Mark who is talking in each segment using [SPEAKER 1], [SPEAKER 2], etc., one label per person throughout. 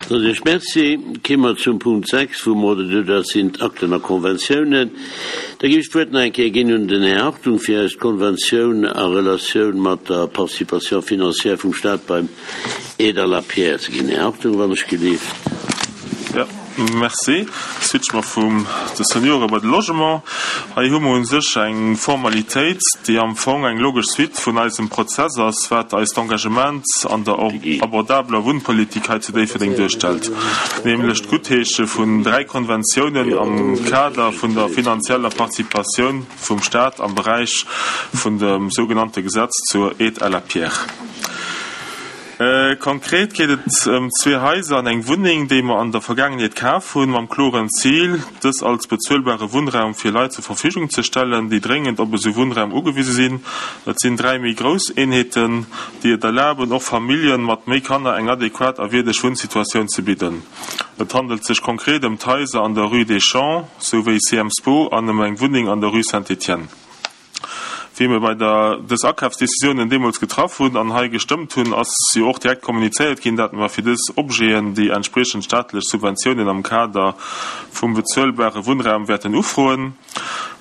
[SPEAKER 1] Soen ech Merci. Ki mer zum Punkt 6 vum Ordre du jour, dat sinn d'Akten a Konventiounen. Da géif ech d'Wuert nach eng Kéier ginn un den Här Hartung, fir eis d'Konventioun a Relatioun mat der Participation financière vum Stat beim Aide à la pierre ze ginn. Här Hartung, wann ech gelift.
[SPEAKER 2] Jo, merci. Switche mer vum de Seniore bei de Logement. Hei hu mer u sech eng Formalitéit, déi am Fong eng logesch Suite vun eisem Prozess ass, wat eist Engagement an der abordabeler Wunnpolitik hei zu Déifferdeng duerstellt, nämlech d'Guttheesche vun dräi Konventiounen am Kader vun der finanzieller Participatioun vum Stat am Beräich vun dem sougenannte Gesetz zur Aide à la pierre. Konkret geet et ëm zwee Haiser an eng Wunneng, déi mer an der Vergaangenheet kaf hunn, mam kloren Zil, dës als bezuelbare Wunnraum fir Leit zur Verfügung ze stellen, déi dréngend op esou Wunnraum ugewise sinn. Et sinn 3 méi grouss Eenheeten, déi et erlaben, och Familljen mat méi Kanner eng adequat a wierdeg Wunnsituatioun ze bidden. Et handelt sech konkret ëm d'Haiser an der Rue des Champs souwéi CM Spo an ëm eng Wunneng an der Rue Saint-Étienne. Wéi mir bei der dës Akafsdecisiounen deemools getraff hunn an hei gestëmmt hunn, ass jo och direkt kommunizéiert ginn, dat mer fir dës Objeten déi entspriechend staatlech Subventiounen am Kader vum bezuelbare Wunnraum wäerten ufroen.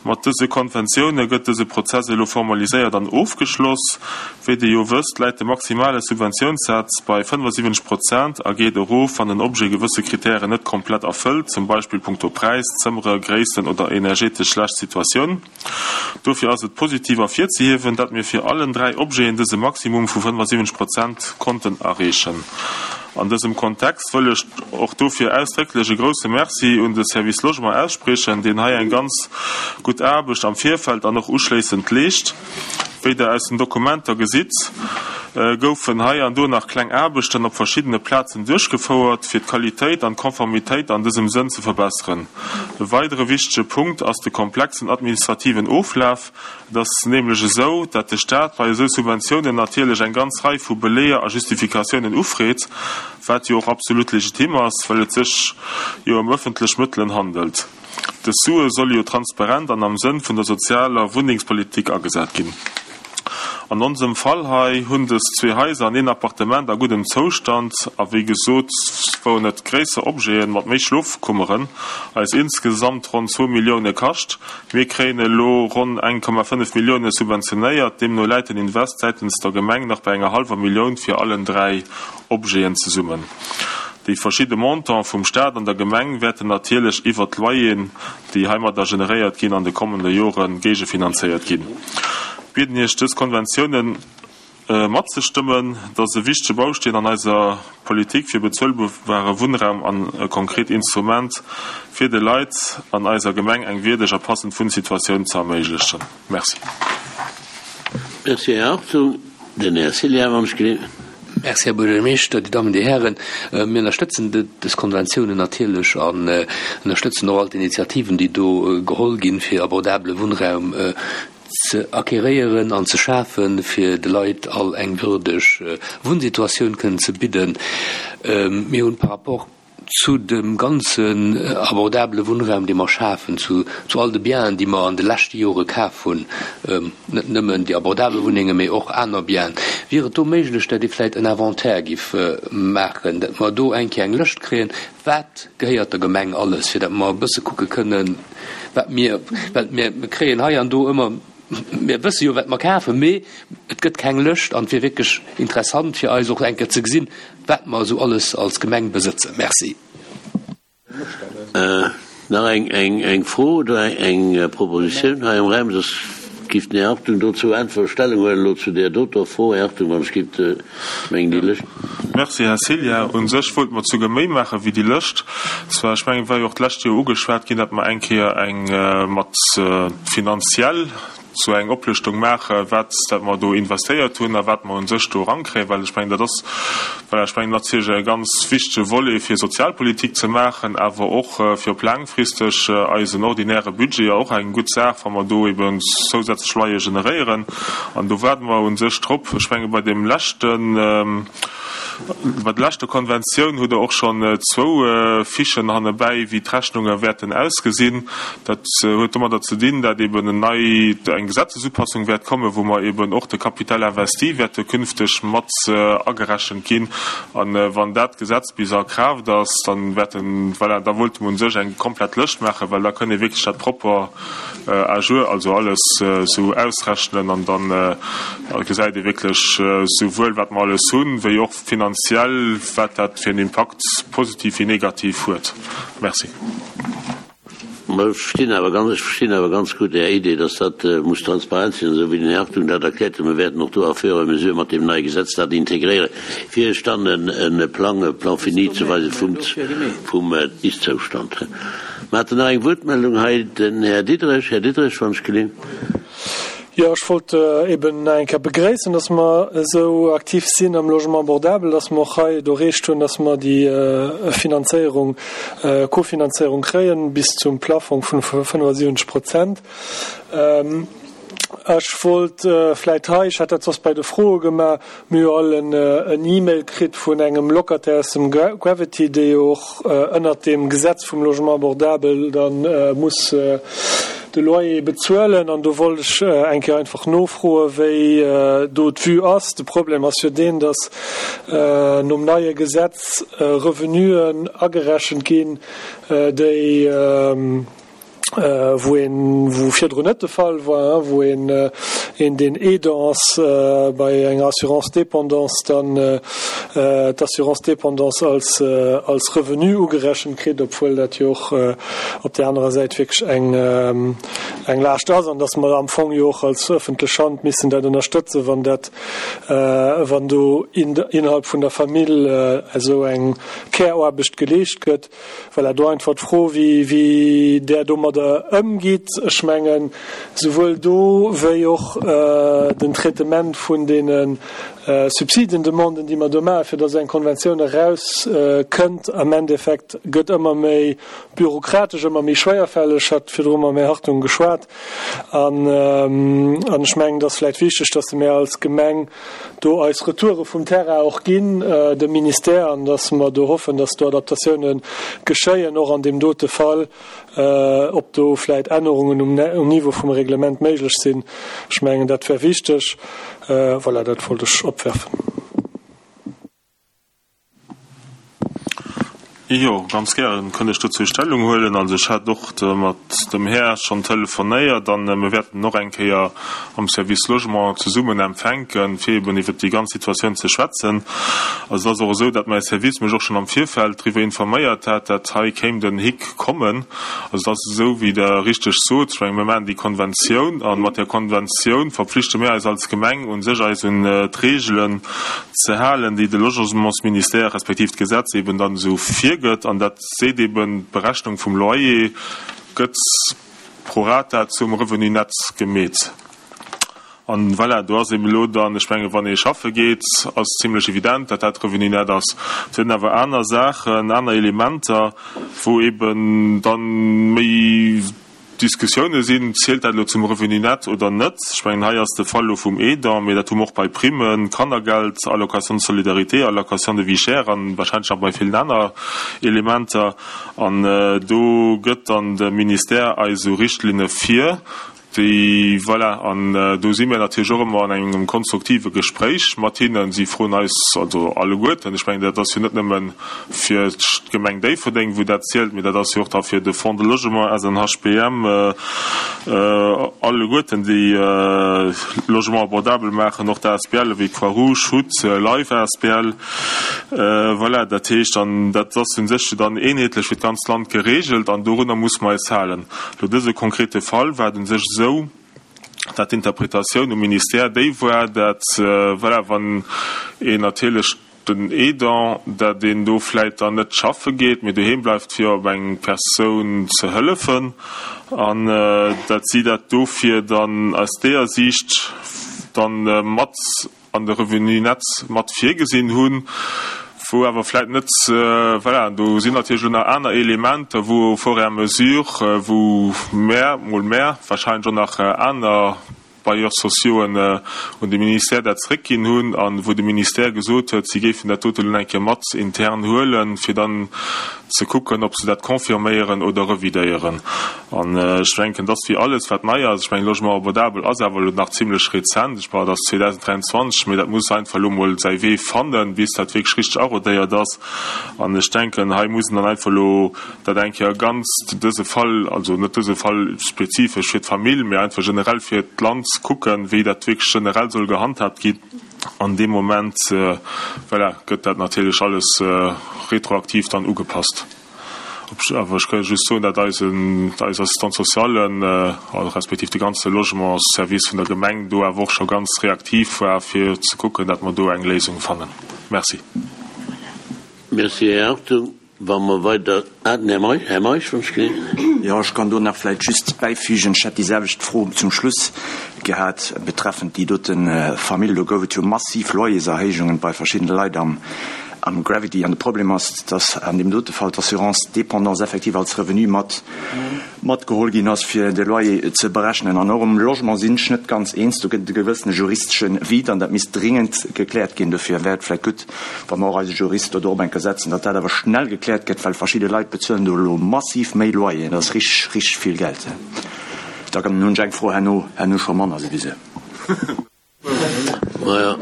[SPEAKER 2] Mat dëse Konventioune gëtt dëse Prozess elo formaliséiert an ofgeschloss. Wéi Dir jo wësst, läit de maximale Subventiounssaz bei 75 Prozent a geet erof, wann en Objet gewësse Kritären net komplett erfëllt, zum Beispill punkto Präis, Zëmmere, Gréissten oder energetesch schlecht Situatioun. Dofir ass et positiv ervirzehiewen, dat mir fir allen 3 Objeten dëse Maximum vu 75 Prozent konnten erreechen. An dësem Kontext wëll ech och dofir ausdrécklech e grouse Merci un de Service Logement ausspriechen, deen hei eng ganz gutt Aarbecht am Virfeld an och uschléissend leescht. Wéi Der aus den Dokumenter gesitt, goufen hei an do nach kleng Aarbechten op verschiddene Plazen duerchgefouert, fir d'Qualitéit an d'Konformitéit an dësem Sënn ze verbesseren. E weidere wichtege Punkt ass de komplexen administrativen Oflaf. Et ass nämlech esou, dat de Stat bei esou Subventiounen natierlech eng ganz Rei vu Beleeër a Justifikatiounen ufreet, wat jo och absolut legitim ass, well et sech jo ëm ëffentlech Mëttelen handelt. Dës Sue solle jo transparent an am Sënn vun der sozialer Wunnengspolitik agesat ginn. An onsem Fall hei hunn dës zwee Haiser an een Appartement a guddem Zoustand a wéi gesot wouen et gréisser Objeten mat méi Schlofkummeren eis insgesamt ronn zwou Millioune kascht. Mir kréien elo ronn 1,5 Millioune subventionéiert, deemno läit den Invest säitens der Gemeng nach bei enger hallwer Millioun fir allen 3 Objeten zesummen. Déi verschidde Montante vum Staat an der Gemeng wäerten natierlech iwwert d'Loyeren, déi heimadder generéiert ginn, an de kommende Jore géigefinanzéiert ginn. Bieden Iech, dës Konventiounen matzestëmmen. Et ass e wichtege Bausteen an eiser Politik fir bezuelbare Wunnraum an e konkret Instrument, fir de Leit an eiser Gemeng eng wierdeg a passend Wunnsituatioun ze erméiglechen. Merci.
[SPEAKER 1] Merci, Här Hartung. Den Här Ciliar, wann ech gelift.
[SPEAKER 3] Merci, Här Buergermeeschter, Dir Dammen, Dir Hären. Mir ënnerstëtzen dës Konventiounen natierlech an ënnerstëtzen och all d'Initiativen, déi do geholl ginn, fir abordabele Wunnraum ze acquéréieren an ze schafen, fir de Leit all eng würdeg Wunnsituatioun kënnen ze bidden. Mir hunn par rapport zu dem ganzen abordabele Wunnraum, dee mer schafen, zu all de Bienen, déi mer an de leschte Jore kaf hunn, net nëmmen déi abordabel Wunnengen, mee och aner Bienen, wier et do méiglech, datt ee vläicht en Inventaire giff maachen, datt mer do eng Kéier eng Lëscht kréien, wat gehéiert der Gemeng alles, fir datt mer e bësse kucke kënnen, wat mir, well mir kréien hei an do ëmmer, mir wësse jo, wat mer kafen, mee et gëtt keng Lëscht an et wier wierklech interessant fir eis och eng Kéier ze gesinn, wat mer esou alles als Gemeng besëtzen. Merci.
[SPEAKER 1] Nach eng Fro oder eng Propositioun hei am Raum? Soss giff den Här Hartung dozou äntweren, Stellung huelen elo zu där doter Fro. Här Hartung, wann ech giff mengen déi Lëscht.
[SPEAKER 2] Merci, Här Ceglia. U sech wollte mer souguer méi maache wéi déi Lëscht. Zwar, ech mengen, et war jo och d'lescht Joer ugeschwat ginn, datt mer eng Kéier eng mat finanziell sou eng Oplëschtung maachen, wat dat mer do investéiert hunn a wat mer u sech do erankréien, well ech mengen, dat ass, voilà, ech mengen natierlech e ganz wichtege Volet fir Sozialpolitik ze maachen, awer och fir op laangfristeg eisen ordinäre Budget och eng gutt Saach, wa mer do eben zousätzlech Loyere generéieren. An do waarde mer u sech drop. Ech menge bei deem leschten. Bei der leschter Konventioun hutt Der och schonn zwou Fichen hannebäi, wéi d'Rechnunge wäerten ausgesinn. Dat huet domadder ze dinn, dat eben en nei, eng Gesetzesupassung wäert kommen, wou mer eben och de Capital investi wäerte künfteg mat agerechent ginn. A wann dat Gesetz bis a Kraaft ass, dann wäerten, voilà, da wollte mer u sech eng komplett Lëscht maachen, well da kënnt ee wierklech dat propper à jour, also alles esou ausrechnen an dann gesäit ee wierklech souwuel wat mer alles hunn, wéi och finanziell wat dat fir en Impakt, positiv wéi negativ, huet. Merci.
[SPEAKER 1] Mä ech verstinn awer ganz, ech verstinn awer ganz gutt Är Idee, dass dat muss transparent sinn, esou wéi den Här Hartung dat erkläert huet. Mir wäerten och do à fur et à mesure mat deem neie Gesetz dat integréieren, fir Iech dann e Plang, e Plan fini ze weisen vum, vum Ist-Zoustand. Mer haten nach eng Wuertmeldung hei, den Här Diderich. Här Diderich, wann ech gelinn.
[SPEAKER 4] Jo, ech wollt eben nach eng Kéier begréissen, dass mer esou aktiv sinn am Logement abordable, dass mer och hei et erreecht hunn, dass mer déi Finanzéierung, Kofinanzéierung kréien bis zum Plafong vun 75 Prozent. Ech wollt vläit hei, ech hätt dat soss bei de Froe gemaach, mir hu jo all en E-Mail kritt vun engem Locataire aus dem Gravity, dee jo och ënnert deem Gesetz vum Logement abordable da muss de Loyer bezuelen. An do wollt ech eng Kéier einfach nofroen, wéi do d'Vue ass. De Problem ass jo deen, datt nom neie Gesetz Revenuen agerechent ginn, déi, wou een, wou virdrun net de Fall war, wou een, een deen Aidant ass bei enger Assurance dépendance, dann d'Assurance dépendance als, als Revenu ugerechent kritt, obwuel dat jo och op där anerer Säit wierklech eng, eng Laascht ass an dass mer am Fong jo och als öffentlech Hand missen dat ënnerstëtzen, wann dat, wann do innerhalb vun der Famill esou eng Care-Aarbecht geleescht gëtt. Voilà, do einfach d'Fro, wéi, wéi Der domadder ëmgitt. Ech mengen, souwuel do wéi och den Traitement vun deene Subsidiendemanden, déi mer do maachen, fir datt esou eng Konventioun erauskënnt, am Endeffekt gëtt ëmmer méi bürokratesch, ëmmer méi schwéierfälleg. Ech hat virdru mam Här Hartung geschwat. An, an ech mengen, et ass vläicht wichteg, datt mir als Gemeng do eis Retoure vum Terrain och ginn dem Ministère an datt mer do hoffen, datt do Adaptatioune geschéien, och an deem dote Fall, ob do vläicht Ännerungen um Niveau vum Reglement méiglech sinn. Ech mengen, dat wär wichteg. Voilà, dat wollt ech opwerfen.
[SPEAKER 2] Jo, ganz gären kënnt ech dozou Stellung huelen. Also ech hat och mat dem Här schonn telefonéiert an mir wäerten och eng Kéier am Service Logement zesummen empfänken, fir eben iwwert déi ganz Situatioun ze schwätzen. Also et ass och esou, datt mäi Service mech och schonn am Virfeld driwwer informéiert hat, datt hei kéim den Hick kommen. Also et ass esou, wéi Der richteg sot, ech menge mir maachen déi Konventioun a mat där Konventioun verpflichte mir eis als Gemeng u sech eis un d'Reegelen ze halen, déi de Logementsministère respektiv d'Gesetz eben dann esou virgëtt. An dat seet eben, d'Berechnung vum Loyer gëtt pro rata zum Revenu net gemeet. An voilà, do ass eben elo dann, ech menge wann ee schaffe geet, ass zimlech evident, datt dat Revenu net ass. Et sinn awer aner Saachen, aner Elementer, wou eben dann méi Diskussioune sinn, zielt dat elo zum Revenu net oder net? Ech mengen, hei ass de Fall elo vum Aidant, mee dat hu mer och bei Primmen, Kannergeld, Allocation de solidarité, Allocation de vie chère an wahrscheinlech nach bei villen aner Elementer. An do gëtt dann de Ministère eis esou Richtlinne vir, déi, voilà, an do si mir natierlech och ëmmer an engem konstruktive Gespréich mat hinnen. Si froen eis also alleguerten, ech mengen, dat ass jo net nëmmen fir d'Gemeng Déifferdeng, wou dat zielt, mee dat ass jo och da fir de Fonds de Logement, SNHBM, alleguerten, déi Logement abordable maachen, och d'ASBLe wéi Croix-Rouge, hut, Life asbl. Voilà, dat heescht, an dat ass u sech dann eenheetlech fir d'ganzt Land geregelt an dorunner muss mer eis halen. Elo dëse konkrete Fall war et u sech esou, dat d'Interpretatioun um Ministère déi war, dat, voilà, wann een natierlech den Aidant, dat een do vläit dann net schaffe geet, mee doheem bleift fir op eng Persoun ze hëllefen an dat si dat dofir dann aus deeër Siicht dann mat an de Revenu net mat virgesinn hunn, wou awer vläit net, voilà, do sinn natierlech elo nach aner Elementer, wou au fur et à mesure, wou mär, mol mär, wahrscheinlech och nach aner. Bailleurs sociauxen un de Ministère dat zréckginn hunn a wou de Ministère gesot huet, si géifen dat dote lo eng Kéier mat intern huelen, fir dann ze kucken, ob se dat confirméieren oder revidéieren. An ech denken, dass wéi alles, wat nei ass, ech mengen, Logement abordable ass awer elo nach zimlech rezent, ech mengen, dat ass 2023, mee dat muss einfach elo emol säi Wee fannen, bis dat wierklech richteg arodéiert ass. An ech denken, hei muss een dann einfach elo dat eng Kéier ganz dëse Fall, also net dëse Fall spezifesch fir d'Famill, mee einfach generell fir d'Land kucken, wéi dat wierklech generell soll gehandhaabt ginn. An deem Moment, voilà, gëtt dat natierlech alles retroaktiv dann ugepasst. Awer ech ka just soen, dat eisen, eis Assistante sociale, respektiv de ganze Logementsservice vun der Gemeng do awer och scho ganz reaktiv war, fir ze kucken, dat mer do eng Léisung fannen. Merci.
[SPEAKER 1] Merci, Här Hartung. Wa mer weider, ah, den Här Meisch, Här Meisch, wann ech gesinn.
[SPEAKER 5] Jo, ech kann do nach vläicht just bäifügen, ech hätt déi selwecht Fro zum Schluss gehat betreffend déi dote Famill. Do gouf et jo massiv Loyerserhéijungen bei verschiddene Leit am Gravity. An de Problem ass, dass an deem dote Fall d'Assurance dépendance effektiv als Revenu mat matgeholl ginn ass, fir de Loyer ze berechnen. An och um Logement sinn ech net ganz eens. Do gëtt et e gewëssene juristesche Vide an dat misst dringend gekläert ginn. Dofir wär et vläicht gutt, wa mer och eise Jurist do drop eng Kéier setzen, datt dat awer schnell gekläert gëtt, well verschidde Leit bezuelen do elo massiv méi Loyeren. Dat ass richteg, richteg vill Geld. Da hunn ech eng Fro herno, herno scho manner souwisou.
[SPEAKER 1] Maja,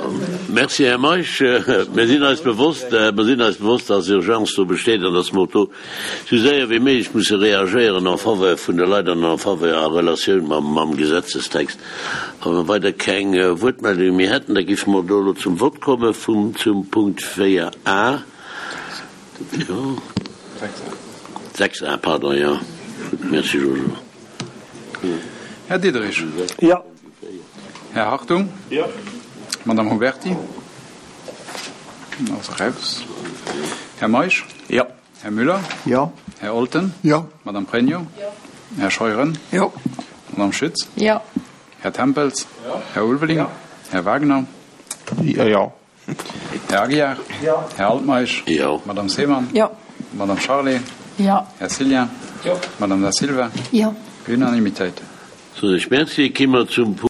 [SPEAKER 1] merci, Här Meisch. Mir sinn eis bewosst, mir sinn eis bewosst, dass Urgence do besteet an dass mer och do esou séier wéi méiglech musse reagéieren en faveur vun de Leit an en faveur a Relatioun mam, mam Gesetzestext. Wa mer weider keng Wuertmeldunge méi hätten, da géife mer do elo zum Vott komme vum, zum Punkt 4a, jo, 6a, pardon, jo. Gutt, merci Jojo.
[SPEAKER 6] Här Diderich.
[SPEAKER 4] Jo.
[SPEAKER 6] Här Hartung.
[SPEAKER 2] Jo.
[SPEAKER 6] Madame Huberti. Ass eraus. Här Meisch.
[SPEAKER 5] Jo.
[SPEAKER 6] Här Müller.
[SPEAKER 5] Jo.
[SPEAKER 6] Här Olten.
[SPEAKER 5] Jo.
[SPEAKER 6] Madame Pregno.
[SPEAKER 7] Jo.
[SPEAKER 6] Här Scheuren.
[SPEAKER 7] Jo.
[SPEAKER 6] Madame Schütz.
[SPEAKER 7] Jo.
[SPEAKER 6] Här Tempels.
[SPEAKER 2] Jo.
[SPEAKER 6] Här Ulveling.
[SPEAKER 2] Jo.
[SPEAKER 6] Här Wagner.
[SPEAKER 2] Jo.
[SPEAKER 6] Här Aguiar.
[SPEAKER 4] Jo.
[SPEAKER 6] Här Altmeisch.
[SPEAKER 1] Jo.
[SPEAKER 6] Madame Seemann.
[SPEAKER 7] Jo.
[SPEAKER 6] Madame Charlé.
[SPEAKER 7] Jo.
[SPEAKER 6] Här Cillien.
[SPEAKER 2] Jo.
[SPEAKER 6] Madame Da Silva.
[SPEAKER 7] Jo.
[SPEAKER 6] Unanimitéit.
[SPEAKER 1] Soen ech Merci. Ki mer zum.